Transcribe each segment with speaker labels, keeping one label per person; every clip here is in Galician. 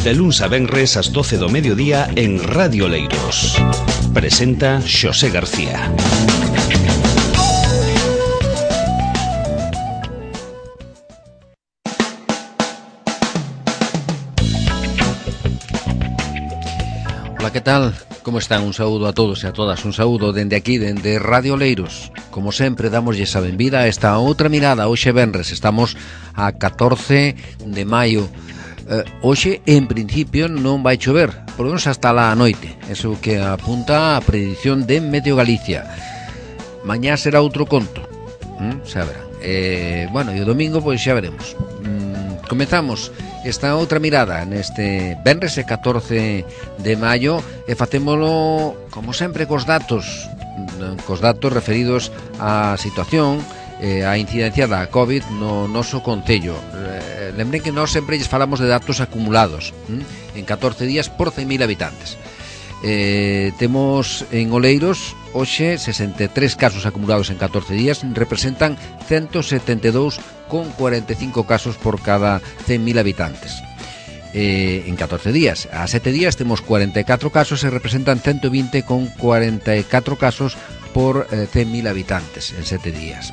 Speaker 1: De luns a venres ás 12 do mediodía en Radio Leiros. Presenta Xosé García.
Speaker 2: Hola, ¿qué tal? Como están? Un saúdo a todos e a todas. Un saúdo dende aquí, dende Radio Leiros. Como sempre, damoslle a benvida a esta outra mirada. Hoxe venres, estamos a 14 de maio. Hoxe, en principio, non vai chover, por lo menos hasta a noite. Eso que apunta a predición de Meteo Galicia. Mañá será outro conto, xa verán. Bueno, e o domingo, pois xa veremos. Comezamos esta outra mirada neste venres 14 de maio e facémolo, como sempre, cos datos referidos á situación, a incidencia da COVID no noso concello. Lembren que nós sempre lles falamos de datos acumulados en 14 días por 100.000 habitantes. Temos en Oleiros hoxe 63 casos acumulados en 14 días, representan 172,45 casos por cada 100.000 habitantes. En 14 días. A 7 días temos 44 casos e representan 120,44 casos por 100.000 habitantes en 7 días.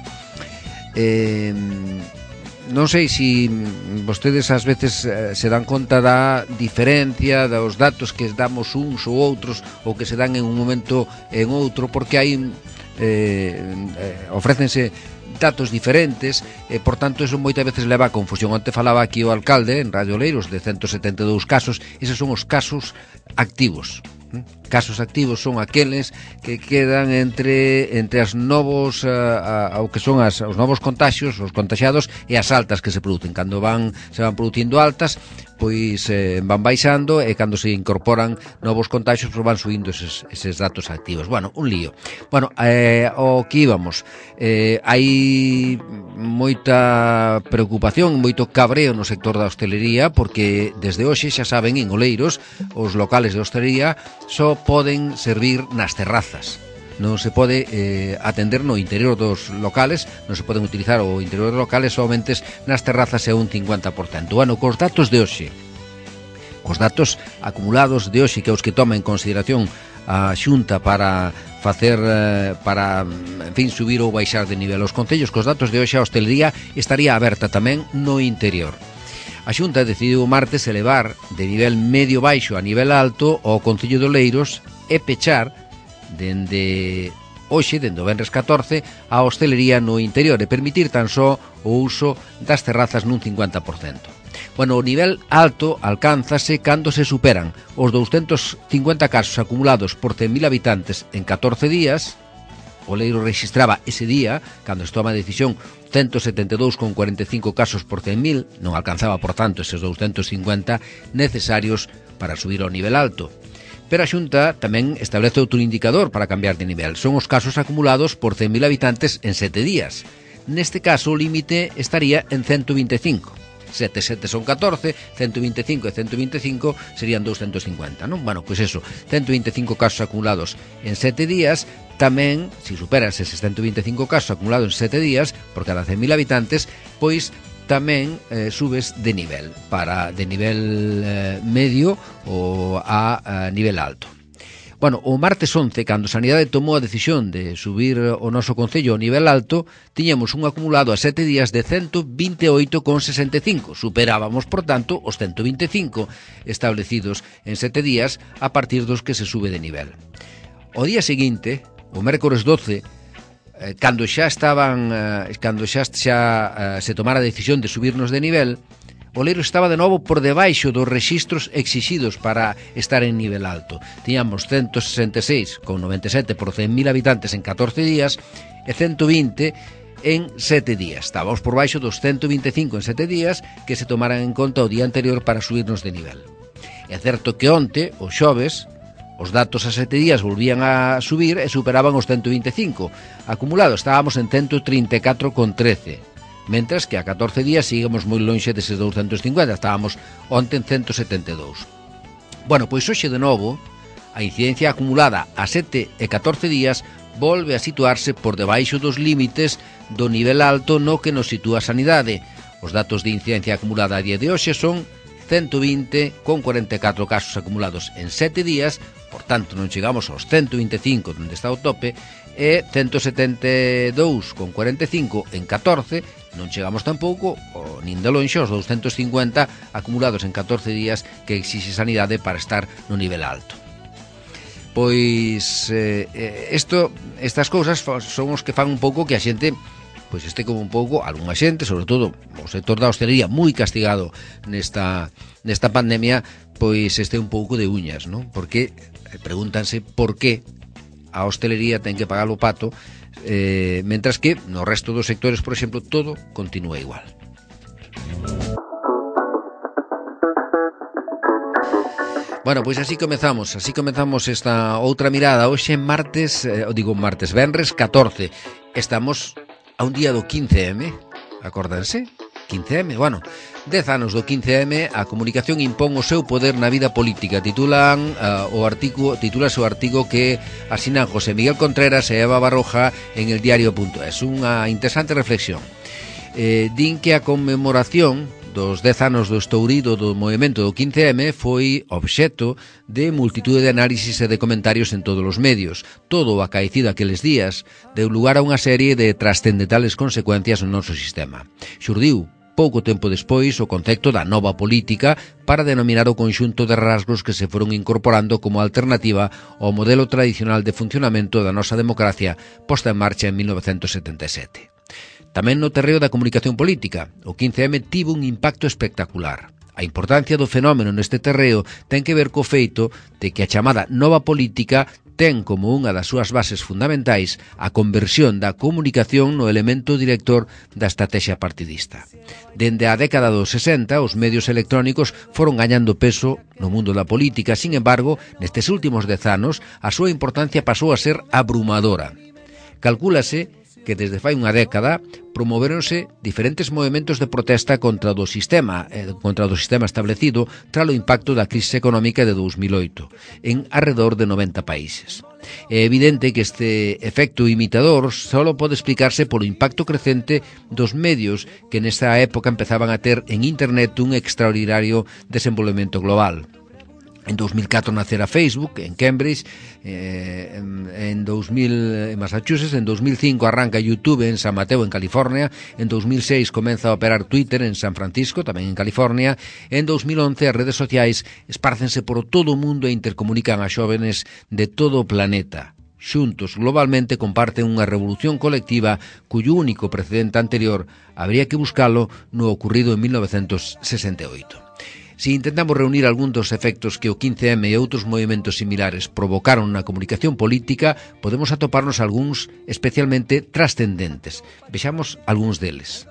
Speaker 2: Non sei se vostedes ás veces se dan conta da diferencia dos datos que damos uns ou outros, ou que se dan en un momento en outro, porque hai ofrécense datos diferentes e, por tanto, eso moitas veces leva a confusión. Onte falaba aquí o alcalde en Radio Leiros de 172 casos. Eses son os casos activos. Casos activos son aqueles que quedan entre as novos ao que son os novos contaxios, os contaxiados e as altas que se producen. Cando se van producindo altas, pois van baixando, e cando se incorporan novos contaxios, pois van subindo eses datos activos. Bueno, un lío. Bueno, o que íbamos, hai moita preocupación, moito cabreo no sector da hostelería, porque desde hoxe, xa saben, en Oleiros os locales de hostelería só poden servir nas terrazas. Non se pode atender no interior dos locales, non se poden utilizar o interior dos locales, somente nas terrazas é un 50%. Bueno, cos datos de hoxe, cos datos acumulados de hoxe, que os que toma en consideración a Xunta para facer, en fin, subir ou baixar de nivel os concellos, cos datos de hoxe a hostelería estaría aberta tamén no interior. A Xunta decidiu o martes elevar de nivel medio baixo a nivel alto ao concello de Oleiros e pechar dende hoxe, dende o venres 14, a hostelería no interior e permitir tan só o uso das terrazas nun 50%. Bueno, o nivel alto alcánzase cando se superan os 250 casos acumulados por 100.000 habitantes en 14 días. Oleiros registraba ese día, cando se toma a decisión, 172,45 casos por 100.000, non alcanzaba, por tanto, eses 250 necesarios para subir ao nivel alto. Pero a Xunta tamén establece outro indicador para cambiar de nivel. Son os casos acumulados por 100.000 habitantes en 7 días. Neste caso, o límite estaría en 125. 7 son 14, 125 e 125 serían 250, non? Bueno, pois eso, 125 casos acumulados en 7 días. Tamén, se superas eses 125 casos acumulados en 7 días por cada 100.000 habitantes, pois tamén subes de nivel, de nivel medio ou a nivel alto. Bueno, o martes 11, cando Sanidade tomou a decisión de subir o noso concello ao nivel alto, tiñamos un acumulado a 7 días de 128,65. Superábamos, por tanto, os 125 establecidos en 7 días a partir dos que se sube de nivel. O día seguinte, o mércores 12, cando xa se tomara a decisión de subirnos de nivel, Oleiros estaba de novo por debaixo dos rexistros exixidos para estar en nivel alto. Tiñamos 166,97 por 100.000 habitantes en 14 días e 120 en 7 días. Estábamos por baixo dos 125 en 7 días que se tomaran en conta o día anterior para subirnos de nivel. É certo que onte, o xoves, os datos a 7 días volvían a subir e superaban os 125. Acumulado estábamos en 134,13. Mentras que a 14 días seguimos moi lonxe deses 250, estábamos onte en 172. Bueno, pois hoxe de novo, a incidencia acumulada a 7 e 14 días volve a situarse por debaixo dos límites do nivel alto no que nos sitúa a Sanidade. Os datos de incidencia acumulada a día de hoxe son 120 con 44 casos acumulados en 7 días, por tanto non chegamos aos 125 onde está o tope, e 172 con 45 en 14, non chegamos tampouco nin de lonxe aos 250 acumulados en 14 días que exixe Sanidade para estar no nivel alto. Pois estas cousas son os que fan un pouco que a xente pois este como un pouco, algunha xente, sobre todo o sector da hostelería moi castigado nesta pandemia, pois este un pouco de uñas, non? Porque pregúntanse por que a hostelería ten que pagar o pato, mentras que no resto dos sectores, por exemplo, todo continúa igual. Bueno, pois así comezamos esta outra mirada. Hoxe venres 14. Estamos a un día do 15M, acórdanse? 15M, bueno, 10 anos do 15M, a comunicación impón o seu poder na vida política. Titúlase o artigo que asinan José Miguel Contreras e Eva Barroja en eldiario.es. Unha interesante reflexión. Din que a conmemoración dos 10 anos do estourido do movimento do 15M foi obxecto de multitude de análisis e de comentarios en todos os medios. Todo o acaecido aqueles días deu lugar a unha serie de trascendentales consecuencias no noso sistema. Xurdiu pouco tempo despois o concepto da nova política para denominar o conxunto de rasgos que se foron incorporando como alternativa ao modelo tradicional de funcionamento da nosa democracia posta en marcha en 1977. Tamén no terreo da comunicación política, o 15M tivo un impacto espectacular. A importancia do fenómeno neste terreo ten que ver co feito de que a chamada nova política ten como unha das súas bases fundamentais a conversión da comunicación no elemento director da estrategia partidista. Dende a década dos 60, os medios electrónicos foron gañando peso no mundo da política, sin embargo, nestes últimos 10 anos, a súa importancia pasou a ser abrumadora. Calcúlase que desde fai unha década promoveronse diferentes movementos de protesta contra o sistema establecido tras o impacto da crise económica de 2008 en arredor de 90 países. É evidente que este efecto imitador só pode explicarse polo impacto crecente dos medios que nesta época empezaban a ter en internet un extraordinario desenvolvemento global. En 2004 nacera Facebook en Cambridge, en Massachusetts, en 2005 arranca YouTube en San Mateo, en California, en 2006 comeza a operar Twitter en San Francisco, tamén en California, en 2011 as redes sociais espárcense por todo o mundo e intercomunican a xóvenes de todo o planeta. Xuntos, globalmente, comparten unha revolución colectiva cuyo único precedente anterior habría que buscalo no ocurrido en 1968. Si intentamos reunir algún dos efectos que o 15M e outros movimentos similares provocaron na comunicación política, podemos atoparnos algúns especialmente trascendentes. Vexamos algúns deles.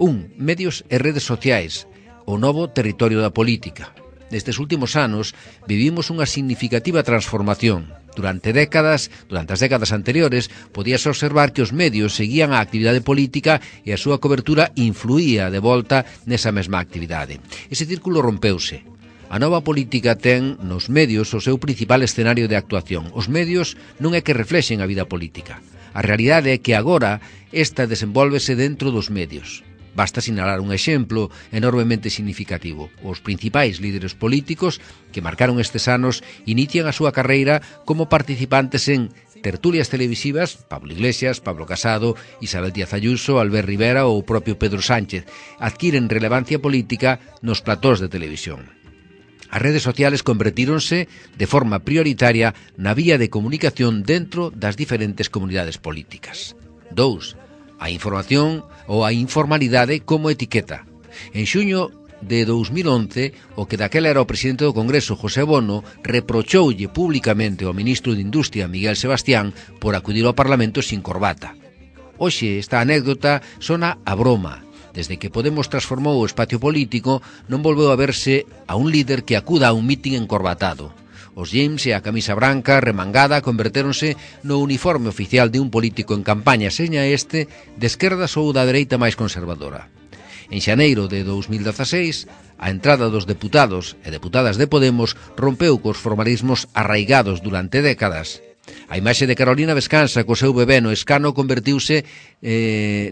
Speaker 2: 1. Medios e redes sociais, o novo territorio da política. Nestes últimos anos vivimos unha significativa transformación. Durante as décadas anteriores, podíase observar que os medios seguían a actividade política e a súa cobertura influía de volta nesa mesma actividade. Ese círculo rompeuse. A nova política ten nos medios o seu principal escenario de actuación. Os medios non é que reflexen a vida política. A realidade é que agora esta desenvólvese dentro dos medios. Basta sinalar un exemplo enormemente significativo. Os principais líderes políticos que marcaron estes anos inician a súa carreira como participantes en tertulias televisivas, Pablo Iglesias, Pablo Casado, Isabel Díaz Ayuso, Albert Rivera ou o propio Pedro Sánchez. Adquiren relevancia política nos platós de televisión. As redes sociales convertíronse de forma prioritaria na vía de comunicación dentro das diferentes comunidades políticas. 2. A información ou a informalidade como etiqueta. En xuño de 2011, o que daquela era o presidente do Congreso, José Bono, reprochoulle públicamente ao ministro de Industria, Miguel Sebastián, por acudir ao Parlamento sin corbata. Hoxe, esta anécdota sona a broma. Desde que Podemos transformou o espacio político, non volveu a verse a un líder que acuda a un mitin encorbatado. Os jeans e a camisa branca remangada convertéronse no uniforme oficial de un político en campaña, seña este de esquerdas ou da dereita máis conservadora. En xaneiro de 2016, a entrada dos deputados e deputadas de Podemos rompeu cos formalismos arraigados durante décadas A imaxe de Carolina Vescansa co seu bebé no escano convertiuse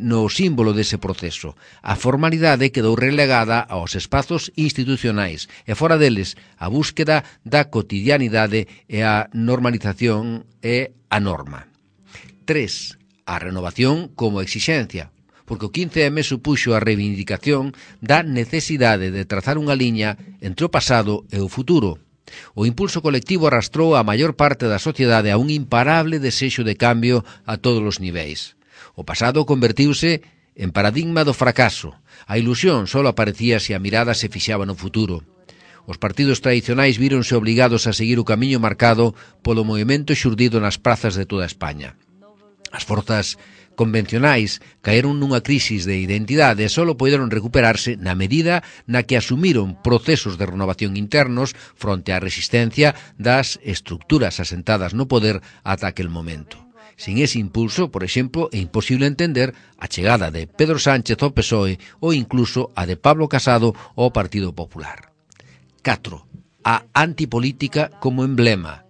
Speaker 2: no símbolo dese proceso. A formalidade quedou relegada aos espazos institucionais e fora deles a búsqueda da cotidianidade e a normalización e a norma. 3. A renovación como exixencia, porque o 15M supuxo a reivindicación da necesidade de trazar unha liña entre o pasado e o futuro. O impulso colectivo arrastrou a maior parte da sociedade a un imparable desexo de cambio a todos os niveis. O pasado convertiuse en paradigma do fracaso. A ilusión só aparecía se a mirada se fixaba no futuro. Os partidos tradicionais víronse obrigados a seguir o camiño marcado polo movimento xurdido nas prazas de toda España. As forzas convencionais caeron nunha crisis de identidade e só poderon recuperarse na medida na que asumiron procesos de renovación internos fronte á resistencia das estructuras asentadas no poder ata aquel momento. Sin ese impulso, por exemplo, é imposible entender a chegada de Pedro Sánchez ao PSOE ou incluso a de Pablo Casado ao Partido Popular. 4. A antipolítica como emblema.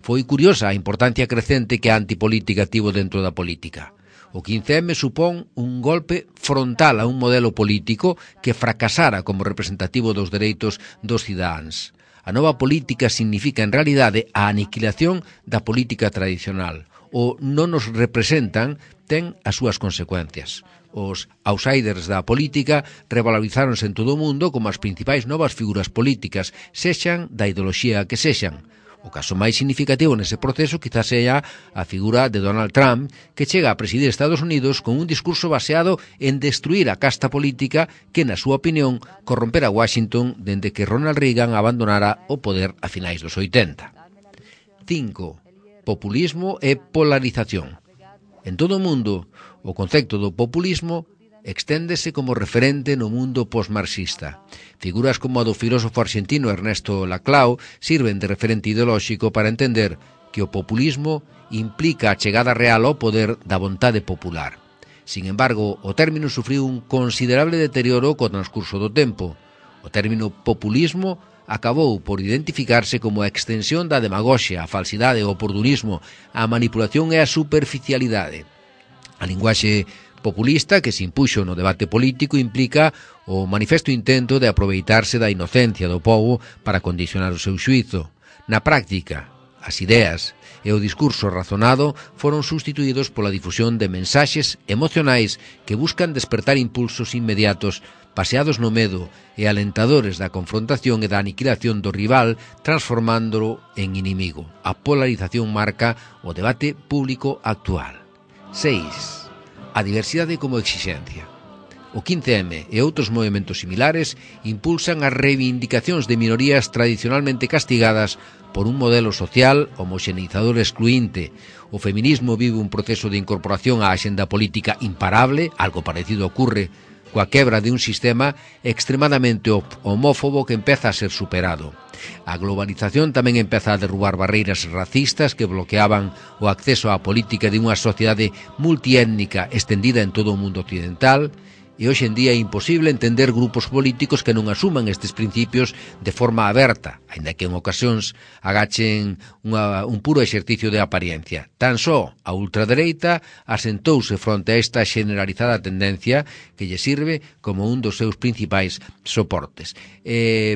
Speaker 2: Foi curiosa a importancia crecente que a antipolítica tivo dentro da política. O 15M supón un golpe frontal a un modelo político que fracasara como representativo dos dereitos dos cidadáns. A nova política significa en realidade a aniquilación da política tradicional. O non nos representan ten as súas consecuencias. Os outsiders da política revalorizáronse en todo o mundo como as principais novas figuras políticas, sexan da ideoloxía que sexan. O caso máis significativo nese proceso quizás sea a figura de Donald Trump, que chega a presidir Estados Unidos con un discurso baseado en destruir a casta política que, na súa opinión, corrompera Washington dende que Ronald Reagan abandonara o poder a finais dos 80. 5. Populismo e polarización. En todo o mundo, o concepto do populismo exténdese como referente no mundo postmarxista. Figuras como a do filósofo argentino Ernesto Laclau sirven de referente ideolóxico para entender que o populismo implica a chegada real ao poder da vontade popular. Sin embargo, o término sufriu un considerable deterioro co transcurso do tempo. O término populismo acabou por identificarse como a extensión da demagoxia, a falsidade, o oportunismo, a manipulación e a superficialidade. A linguaxe populista que se impuxo no debate político implica o manifesto intento de aproveitarse da inocencia do povo para condicionar o seu xuízo. Na práctica, as ideas e o discurso razonado foron sustituídos pola difusión de mensaxes emocionais que buscan despertar impulsos inmediatos baseados no medo e alentadores da confrontación e da aniquilación do rival, transformándolo en inimigo. A polarización marca o debate público actual. 6. A diversidade como exixencia. O 15M e outros movementos similares impulsan as reivindicacións de minorías tradicionalmente castigadas por un modelo social homoxeneizador excluinte. O feminismo vive un proceso de incorporación á axenda política imparable, algo parecido ocurre coa quebra de un sistema extremadamente homófobo que empeza a ser superado. A globalización tamén empeza a derrubar barreiras racistas que bloqueaban o acceso á política de unha sociedade multiétnica estendida en todo o mundo occidental, e hoxe en día é imposible entender grupos políticos que non asuman estes principios de forma aberta, aínda que en ocasións agachen un puro exercicio de apariencia. Tan só a ultradereita asentouse fronte a esta generalizada tendencia que lle sirve como un dos seus principais soportes.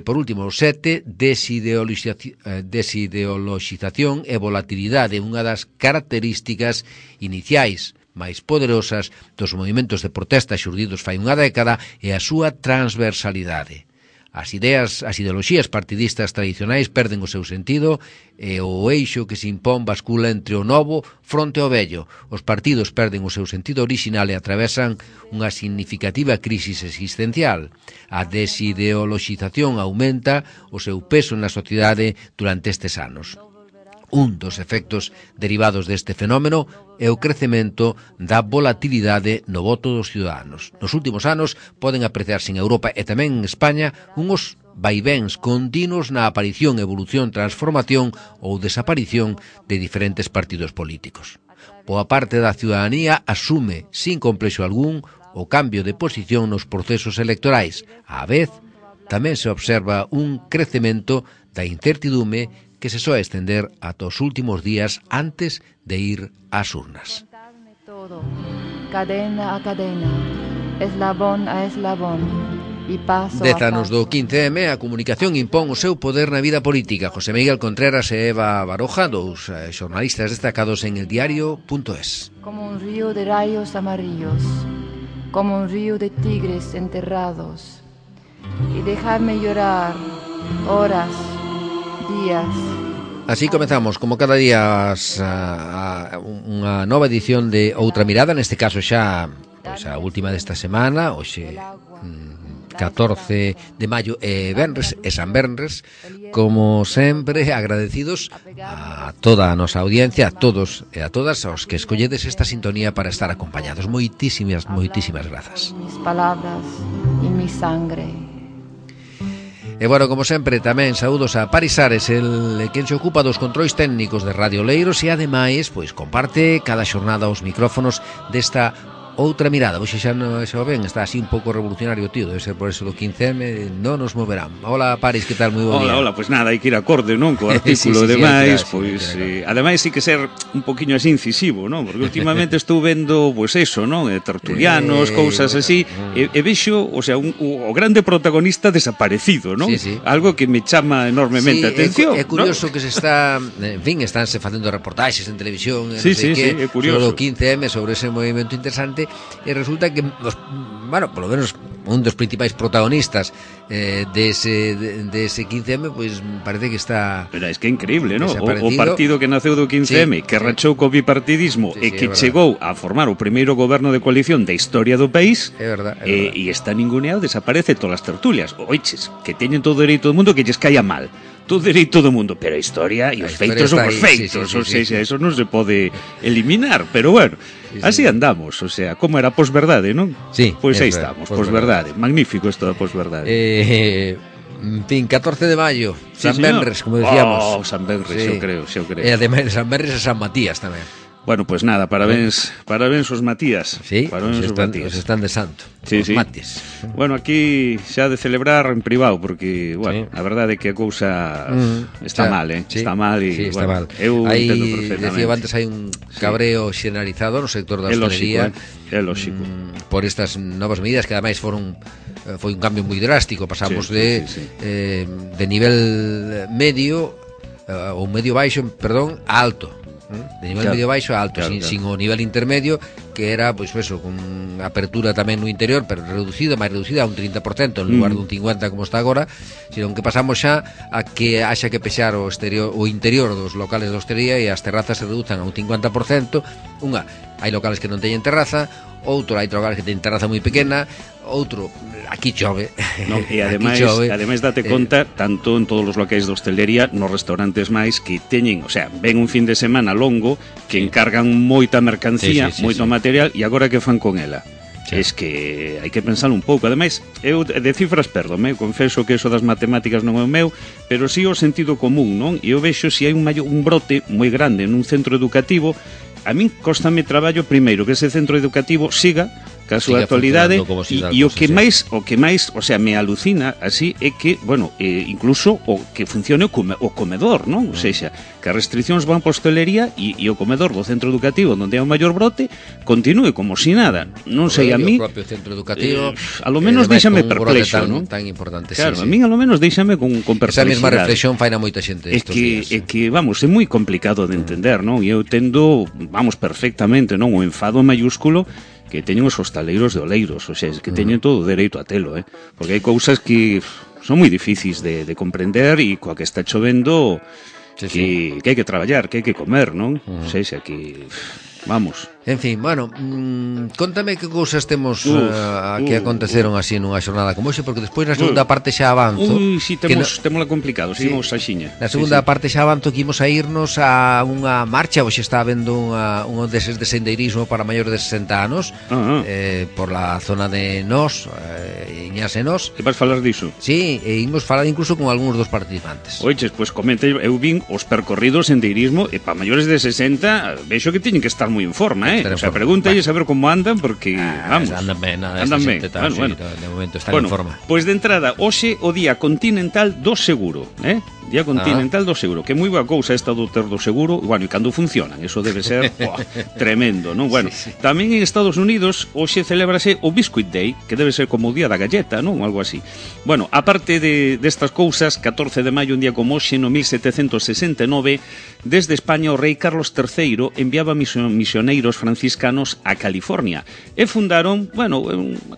Speaker 2: Por último, 7, desideoloxización e volatilidade, unha das características iniciais máis poderosas dos movimentos de protesta xurdidos fai unha década e a súa transversalidade. As ideoloxías partidistas tradicionais perden o seu sentido e o eixo que se impón bascula entre o novo fronte ao vello. Os partidos perden o seu sentido orixinal e atravesan unha significativa crisis existencial. A desideoloxización aumenta o seu peso na sociedade durante estes anos. Un dos efectos derivados deste fenómeno é o crecemento da volatilidade no voto dos ciudadanos. Nos últimos anos poden apreciarse en Europa e tamén en España unhos vaivéns continuos na aparición, evolución, transformación ou desaparición de diferentes partidos políticos. Boa parte da ciudadanía asume, sin complexo algún, o cambio de posición nos procesos electorais. Á vez, tamén se observa un crecemento da incertidume que se soe extender ata os últimos días antes de ir ás urnas.
Speaker 3: Todo, cadena a cadena, eslabón a eslabón, e paso
Speaker 2: 10 anos do 15M, a comunicación impón o seu poder na vida política. José Miguel Contreras e Eva Baroja, dous xornalistas destacados en eldiario.es.
Speaker 3: Como un río de rayos amarillos, como un río de tigres enterrados, y dejarme llorar horas, días.
Speaker 2: Así comezamos, como cada día, unha nova edición de Outra Mirada, neste caso xa pois, a última desta semana, hoxe 14 de maio e Venres, e San Venres. Como sempre, agradecidos a toda a nosa audiencia, a todos e a todas os que escolledes esta sintonía para estar acompañados. Moitísimas grazas.
Speaker 3: Mis palabras e mi sangre.
Speaker 2: E bueno, como sempre, tamén saúdos a Paris Ares, el quen se ocupa dos controis técnicos de Radio Leiros e ademais, pois comparte cada xornada os micrófonos desta Outra Mirada. Hoxe xa non o ven, está así un pouco revolucionario, tío, debe ser por eso do 15M, non nos moverán. Hola, Paris, que tal? Moi bo día.
Speaker 4: Hola, pois nada, hai que ir acorde, non? Co artículo demais, pois ademais hai que ser un poquiño así incisivo, non? Porque últimamente estou vendo, pois eso, non? Tertulianos, cousas así, e vexo, o sea, o grande protagonista desaparecido, non?
Speaker 2: Sí.
Speaker 4: Algo que me chama enormemente a atención.
Speaker 2: É curioso,
Speaker 4: ¿no?
Speaker 2: Que se está, en fin, estánse facendo reportaxes en televisión,
Speaker 4: sí, é curioso.
Speaker 2: Sobre o 15M, sobre ese movimento interesante. E resulta que, bueno, polo menos un dos principais protagonistas dese 15M, pois parece que está...
Speaker 4: Pero es que é increíble, non? O partido que naceu do 15M, que rachou co bipartidismo e que chegou a formar o primeiro goberno de coalición da historia do país,
Speaker 2: é verdad.
Speaker 4: E está ninguneado, desaparece todas as tertulias. Oiches, que teñen todo o dereito do mundo que lles caia mal. Todo dereito do mundo, pero a historia e os feitos son os feitos, ou seja, eso non se pode eliminar, pero bueno, así andamos, o sea, como era a posverdade, non?
Speaker 2: Sí.
Speaker 4: Pois aí estamos, posverdade, magnífico isto da posverdade.
Speaker 2: En fin, 14 de maio, San Venres, como decíamos.
Speaker 4: San Venres, sí. Yo creo.
Speaker 2: E ademais San Venres e San Matías tamén.
Speaker 4: Bueno, pues nada, parabéns os Matías.
Speaker 2: Sí,
Speaker 4: parabéns os Matías.
Speaker 2: Están de santo.
Speaker 4: Sí.
Speaker 2: Matías.
Speaker 4: Bueno, aquí xa de celebrar en privado, porque, bueno, a verdade é que a cousa está mal,
Speaker 2: Sí,
Speaker 4: está mal e,
Speaker 2: sí, está
Speaker 4: bueno,
Speaker 2: mal.
Speaker 4: Eu entendo perfectamente.
Speaker 2: Decía antes, hai un cabreo xeneralizado no sector da hostelería.
Speaker 4: É lógico.
Speaker 2: Por estas novas medidas que ademais foi un cambio moi drástico, pasamos de nivel medio ou medio baixo, perdón, a alto. De nivel medio baixo a alto, sin o nivel intermedio, que era, pois eso, con apertura tamén no interior, pero máis reducida a un 30% en lugar dun 50% como está agora, sino que pasamos xa a que haxa que pexar o interior dos locales de hostelería e as terrazas se reduzan a un 50%. Hai locales que non teñen terraza, outro hai locales que teñen terraza moi pequena, outro, aquí chove.
Speaker 4: No, e ademais date conta, tanto en todos os locais de hostelería, nos restaurantes máis que teñen, o sea, ven un fin de semana longo, que encargan moita mercancía, moito material, e agora que fan con ela? Es que hai que pensar un pouco. Ademais, eu de cifras perdome, confeso que eso das matemáticas non é o meu, pero sí o sentido común, non? E eu vexo se hai un brote moi grande nun centro educativo. A min cóstame traballo primeiro que ese centro educativo siga ca súa actualidade e o que máis, o sea, me alucina así é que, bueno, incluso o que funcione o comedor, non? O sexa, que as restriccións van para a hostelería e o comedor do centro educativo onde hai o maior brote continúe como si nada. Non sei, a mí
Speaker 2: o propio centro educativo
Speaker 4: a lo menos déixame perplexo, non?
Speaker 2: Tan importante,
Speaker 4: claro, a min a lo menos déixame con perplexidade.
Speaker 2: Esa mesma reflexión faina moita xente estos días.
Speaker 4: É que, vamos, é moi complicado de entender, non? E eu tendo, vamos, perfectamente, non? O enfado mayúsculo que teñen os hostaleiros de Oleiros, o sea, que teñen todo o dereito a telo, porque hai cousas que son moi difíciis de comprender e coa que está chovendo que hai que traballar, que hai que comer, non? O sea, que vamos.
Speaker 2: En fin, bueno, contame que cousas temos que aconteceron así nunha xornada como hoxe, porque despois na segunda parte xa avanzo.
Speaker 4: Si, témola complicado, seguimos a xiña.
Speaker 2: Na segunda parte xa avanzo que imos a irnos a unha marcha, hoxe está habendo un deses de sendeirismo para maiores de 60 anos, por la zona de Nos, Iñas e Nos.
Speaker 4: Que vas falar diso?
Speaker 2: Sí, e imos falar incluso con algúns dos participantes.
Speaker 4: Oiches, pois comenta, eu vin os percorridos sendeirismo e para maiores de 60 vexo que teñen que estar moi en forma, o sea, pregúntalles a ver como andan, porque, vamos,
Speaker 2: andan ben,
Speaker 4: bueno.
Speaker 2: De momento están en forma.
Speaker 4: Pois de entrada, hoxe o Día Continental do Seguro, Día Continental do Seguro, que é moi boa cousa esta do ter do seguro, bueno, e cando funcionan, eso debe ser tremendo, non? Bueno, tamén en Estados Unidos hoxe celébrase o Biscuit Day, que debe ser como o día da galleta, non? Algo así. Bueno, aparte destas cousas, 14 de maio, un día como hoxe, no 1769, desde España o rei Carlos III enviaba misioneiros franciscanos a California e fundaron, bueno,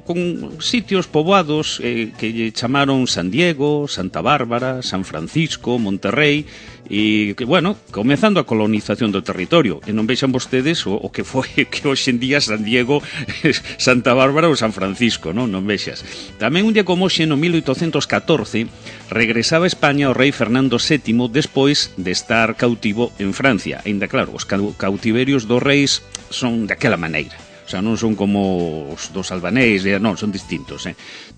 Speaker 4: con sitios poboados que lle chamaron San Diego, Santa Bárbara, San Francisco, Monterrey, e que, bueno, comezando a colonización do territorio, e non vexan vostedes o que foi que hoxe en día San Diego, Santa Bárbara ou San Francisco, non vexas. Tamén un día como hoxe, no 1814, regresaba a España o rei Fernando VII despois de estar cautivo en Francia. Ainda claro, os cautiverios dos reis son daquela maneira. O sea, non son como os dos albanés, non, son distintos.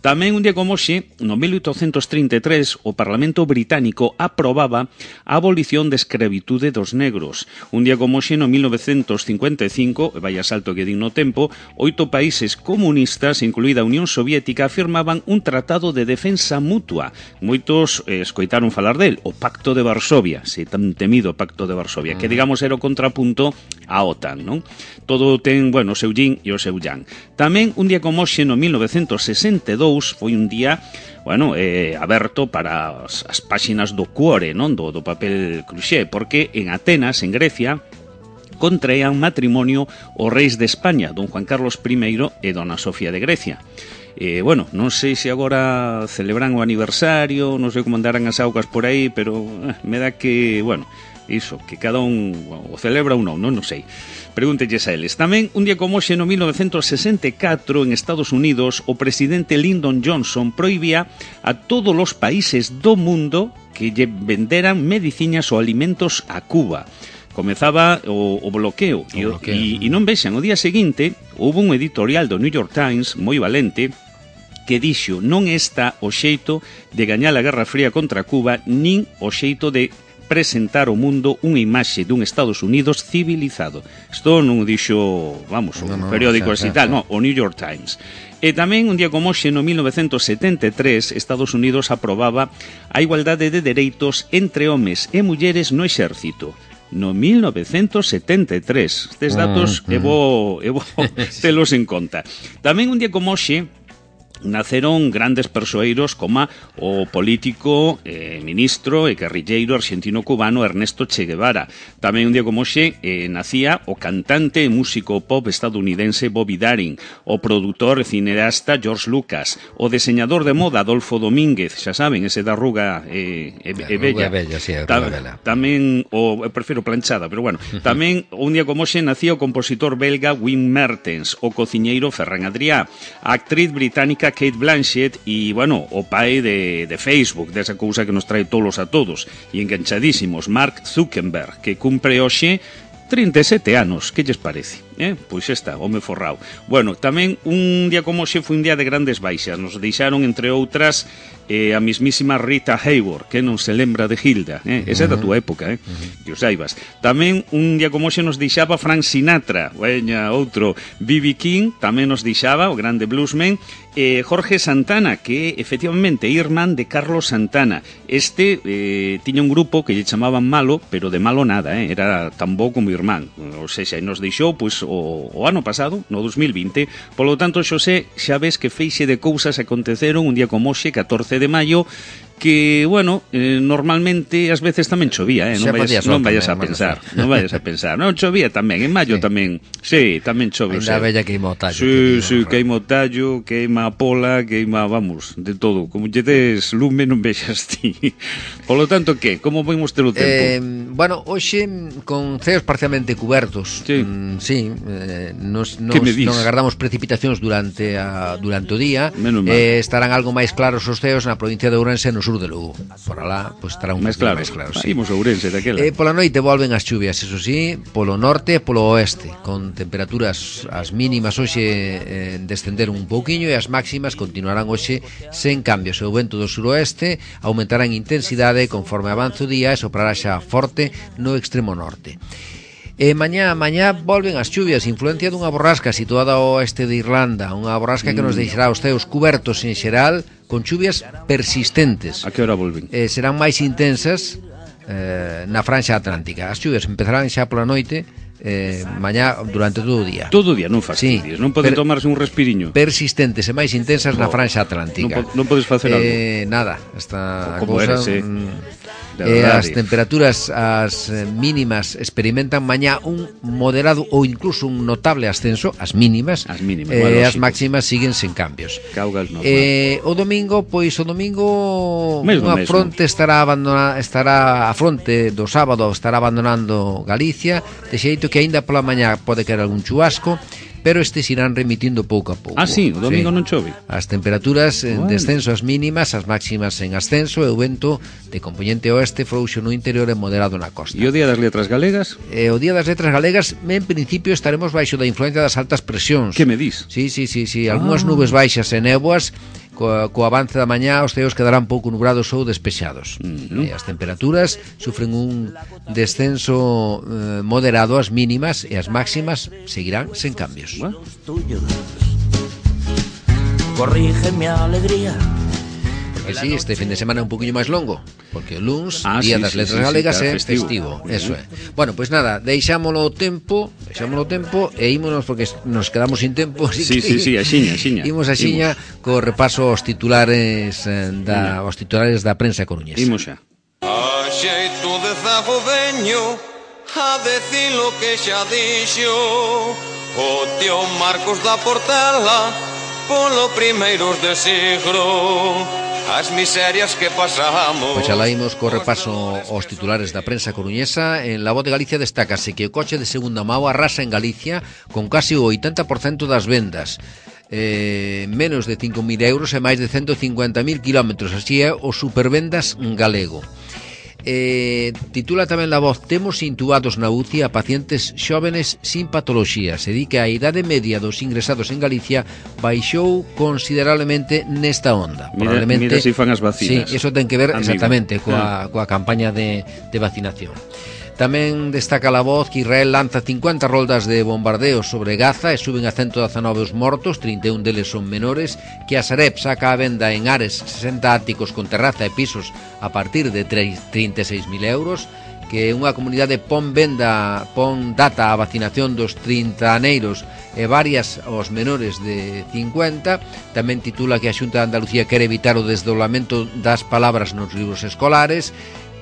Speaker 4: Tamén un día como hoxe, no 1833, o Parlamento Británico aprobaba a abolición de escravitude dos negros. Un día como hoxe, no 1955, vaya salto que din no tempo, 8 países comunistas, incluída a Unión Soviética, firmaban un tratado de defensa mutua. Moitos escoitaron falar del, o Pacto de Varsovia, se tan temido Pacto de Varsovia, que digamos era o contrapunto á OTAN, non? Todo ten, bueno, o seu yin e o seu yang. Tamén un día como hoxe, no 1962, foi un día, bueno, aberto para as páxinas do Cuore, non? Do papel cruxé, porque en Atenas, en Grecia, contraían matrimonio os reis de España, don Juan Carlos I e dona Sofía de Grecia. Bueno, non sei se agora celebran o aniversario, non sei como andarán as augas por aí, pero me dá que, bueno, iso, que cada un o celebra ou non sei. Pregúntelles a eles. Tamén, un día como hoxe, no 1964, en Estados Unidos, o presidente Lyndon Johnson prohibía a todos os países do mundo que lle venderan mediciñas ou alimentos a Cuba. Comezaba o bloqueo. E non vexan, o día seguinte, houve un editorial do New York Times moi valente que dixo: non está o xeito de gañar a Guerra Fría contra Cuba, nin o xeito de presentar ao mundo unha imaxe dun Estados Unidos civilizado. Isto non o dixo, vamos, un periódico así tal, non, o New York Times. E tamén un día como hoxe, no 1973, Estados Unidos aprobaba a igualdade de dereitos entre homes e mulleres no exército. No 1973. Estes datos é bo telos en conta. Tamén un día como hoxe naceron grandes persoeiros como o político, ministro e guerrilleiro argentino-cubano Ernesto Che Guevara. Tamén un día como hoxe nacía o cantante e músico pop estadounidense Bobby Darin, o produtor e cineasta George Lucas, o diseñador de moda Adolfo Domínguez, xa saben, ese da arruga bella. Tamén, eu prefiro planchada, pero bueno. Tamén un día como hoxe nacía o compositor belga Wim Mertens, o cociñeiro Ferran Adrià, a actriz británica Kate Blanchett e, bueno, o pai de Facebook, desa cousa que nos trae tolos a todos e enganchadísimos, Mark Zuckerberg, que cumpre hoxe 37 anos. Que lles parece? Pois está, home forrao. Bueno, tamén un día como hoxe foi un día de grandes baixas. Nos deixaron, entre outras, a mismísima Rita Hayworth, que non se lembra de Hilda. Esa é da túa época, que o saibas. Tamén un día como hoxe nos deixaba Frank Sinatra, veña, outro. B.B. King tamén nos deixaba, o grande bluesman. Jorge Santana, que efectivamente é irmán de Carlos Santana. Este tiña un grupo que lle chamaban Malo, pero de malo nada, era tan bo como irmán. O sea, nos deixou, pois, o ano pasado, no 2020. Polo tanto, Xosé, xa ves que feixe de cousas aconteceron un día como hoxe, 14 de maio, que, bueno, normalmente ás veces tamén chovía, non vayas a pensar. Non chovía tamén, en maio tamén. Sí, tamén chove.
Speaker 2: Ainda bella queima o tallo.
Speaker 4: Sí, queima o tallo, queima a pola, queima, vamos, de todo. Como lle des lume non vexas ti. Polo tanto, que? Como vimos ter o tempo?
Speaker 2: Bueno, hoxe con ceos parcialmente cubertos.
Speaker 4: Sí,
Speaker 2: nos non agardamos precipitacións durante o día. Estarán algo máis claros os ceos na provincia de Ourense, no sur de Lugo. Por alá, pois estará un máis claro.
Speaker 4: Sí. Imos a Ourense daquela.
Speaker 2: Pola noite volven as chuvias, eso sí, polo norte e polo oeste, con temperaturas as mínimas hoxe descender un pouquiño e as máximas continuarán hoxe sen cambios. O vento do suroeste aumentará en intensidade conforme avance o día e soprará xa forte no extremo norte. Mañá volven as chuvias, influencia dunha borrasca situada ao oeste de Irlanda, unha borrasca que nos deixará os ceos cubertos en xeral con chuvias persistentes.
Speaker 4: A que hora volven?
Speaker 2: Serán máis intensas na franxa atlántica. As chuvias empezarán xa pola noite, mañá durante todo o día.
Speaker 4: Todo o día, non fastidies, non poden tomarse un respiriño.
Speaker 2: Persistentes e máis intensas na franxa atlántica.
Speaker 4: Non podes facer algo?
Speaker 2: Nada, esta
Speaker 4: como
Speaker 2: cousa... As temperaturas as mínimas experimentan mañá un moderado ou incluso un notable ascenso, as mínimas, as máximas siguen sen cambios. O domingo unha fronte estará a fronte do sábado estará abandonando Galicia, de xeito que aínda pola mañá pode caer algún chubasco, pero estes irán remitindo pouco a pouco.
Speaker 4: Sí, o domingo non chove.
Speaker 2: As temperaturas en descenso as mínimas, as máximas en ascenso, e o vento de componente oeste frouxo no interior e moderado na costa.
Speaker 4: E o Día das Letras Galegas?
Speaker 2: O Día das Letras Galegas, en principio estaremos baixo da influencia das altas presións.
Speaker 4: Que me dis?
Speaker 2: Sí, algunhas nubes baixas e néboas. Co avance da mañá os ceos quedarán pouco nubrados ou despexados. As temperaturas sufren un descenso moderado as mínimas e as máximas seguirán sen cambios.
Speaker 5: Corrígeme a alegría.
Speaker 2: Porque sí, este fin de semana é un poquinho máis longo, porque o luns, Día das Letras Galegas, é festivo. Eso é. Bueno, pois nada, deixámolo o tempo e ímonos, porque nos quedamos sin tempo.
Speaker 4: Sí, axiña.
Speaker 2: Imos axiña co repaso aos titulares da prensa coruñesa.
Speaker 4: Imos xa.
Speaker 6: A xeito de zagodeño, a decir lo que xa dixo o tío Marcos da Portela polo primeiros de siglo. As miserias que pasamos.
Speaker 2: Pois xa laímos co repaso aos titulares da prensa coruñesa. En La Voz de Galicia destácase que o coche de segunda mao arrasa en Galicia con casi o 80% das vendas. Menos de 5.000 euros e máis de 150.000 kilómetros. Así é o Supervendas galego. Titula tamén La Voz: temos intubados na UCI a pacientes xóvenes sin patoloxía. Se di que a idade media dos ingresados en Galicia baixou considerablemente nesta onda.
Speaker 4: Mira si fan as vacinas.
Speaker 2: Sí, eso ten que ver exactamente coa campaña de vacinación. Tamén destaca La Voz que Israel lanza 50 roldas de bombardeos sobre Gaza e suben a 119 os mortos, 31 deles son menores, que a Sareb saca a venda en Ares 60 áticos con terraza e pisos a partir de 36.000 euros, que unha comunidade pon data a vacinación dos 30 aneiros e varias aos menores de 50. Tamén titula que a Xunta de Andalucía quere evitar o desdoblamento das palabras nos libros escolares,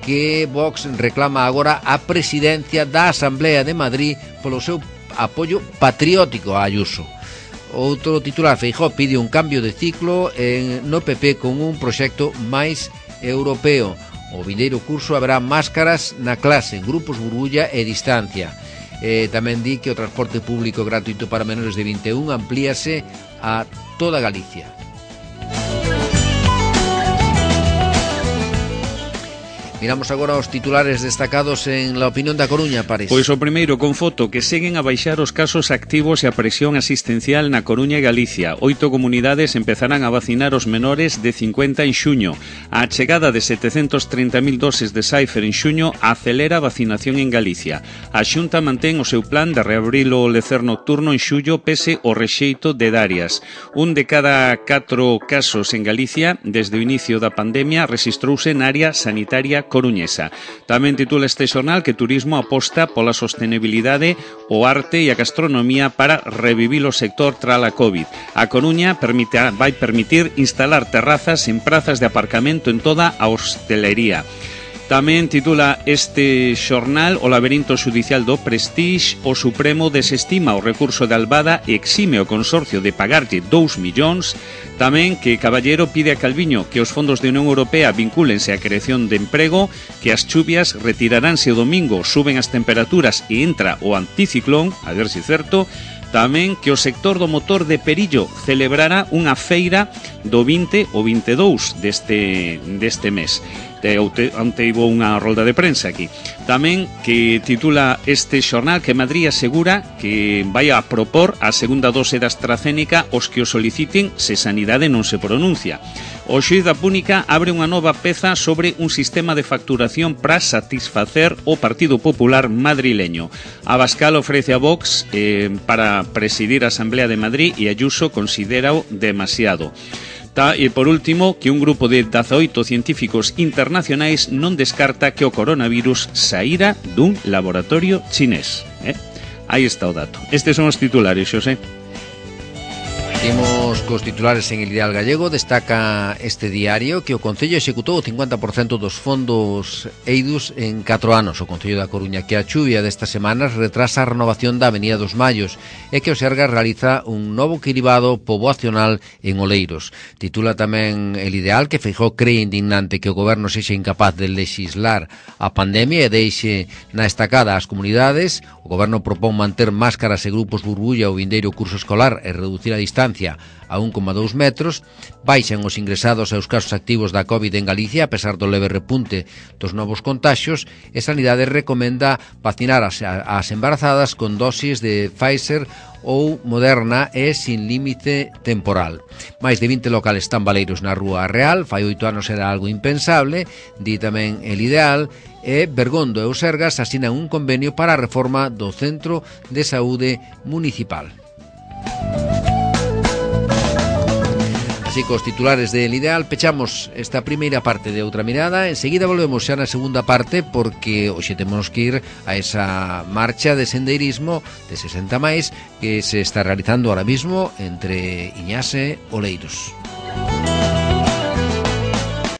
Speaker 2: que Vox reclama agora a presidencia da Asamblea de Madrid polo seu apoio patriótico a Ayuso. Outro titular: Feijóo pide un cambio de ciclo no PP con un proxecto máis europeo. O vindeiro curso haberá máscaras na clase, en grupos burbulla e distancia. Tamén di que o transporte público gratuito para menores de 21 amplíase a toda Galicia. Miramos agora os titulares destacados en La Opinión da Coruña, París.
Speaker 4: Pois o primeiro con foto, que seguen a baixar os casos activos e a presión asistencial na Coruña e Galicia. 8 comunidades empezarán a vacinar os menores de 50 en xuño. A chegada de 730.000 doses de Pfizer en xuño acelera a vacinación en Galicia. A Xunta mantén o seu plan de reabrir o lecer nocturno en xullo pese o rexeito de Darias. Un de cada 4 casos en Galicia desde o inicio da pandemia rexistrouse na área sanitaria coruñesa. Tamén titula este xornal que Turismo aposta pola sostenibilidade, o arte e a gastronomía para revivir o sector tras a COVID. A Coruña vai permitir instalar terrazas en prazas de aparcamento en toda a hostelería. Tamén titula este xornal: o laberinto xudicial do Prestige, o Supremo desestima o recurso de Albada e exime o consorcio de pagarlle 2 millóns. Tamén que Caballero pide a Calviño que os fondos de Unión Europea vincúlense á creación de emprego, que as chuvias retiraránse o domingo, suben as temperaturas e entra o anticiclón, a ver se certo. Tamén que o sector do motor de Perillo celebrará unha feira do 20 ou 22 deste mes. Onte houve unha rolda de prensa aquí. Tamén que titula este xornal que Madrid asegura que vai a propor a segunda dose da AstraZeneca os que o soliciten se Sanidade non se pronuncia. O xuíz da Púnica abre unha nova peza sobre un sistema de facturación para satisfacer o Partido Popular madrileño. Abascal ofrece a Vox para presidir a Asamblea de Madrid e Ayuso considera-o demasiado. E por último, que un grupo de 18 científicos internacionais non descarta que o coronavirus saíra dun laboratorio chinés. Aí está o dato. Estes son os titulares, Xosé.
Speaker 2: Imos cos titulares en El Ideal Gallego. Destaca este diario que o Concello executou o 50% dos fondos eidos en 4 anos. O Concello da Coruña, que a chuvia destas semanas retrasa a renovación da Avenida dos Mallos e que o Sergas realiza un novo cribado poboacional en Oleiros. Titula tamén El Ideal que Feijóo cree indignante que o goberno sexa incapaz de legislar a pandemia e deixe na estacada as comunidades. O goberno propón manter máscaras e grupos burbulla o vindeiro curso escolar e reducir a distancia a 1,2 metros. Baixan os ingresados e os casos activos da COVID en Galicia a pesar do leve repunte dos novos contaxios e Sanidade recomenda vacinar as embarazadas con dosis de Pfizer ou Moderna e sin límite temporal. Máis de 20 locales tambaleiros na Rúa Real, fai 8 anos era algo impensable, di tamén El Ideal, e Bergondo e o Sergas asinan un convenio para a reforma do Centro de Saúde Municipal. Así cos titulares de El Ideal pechamos esta primeira parte de Outra Mirada. Enseguida volvemos xa na segunda parte porque hoxe temos que ir a esa marcha de sendeirismo de 60 máis que se está realizando ahora mismo entre Iñás e Oleiros.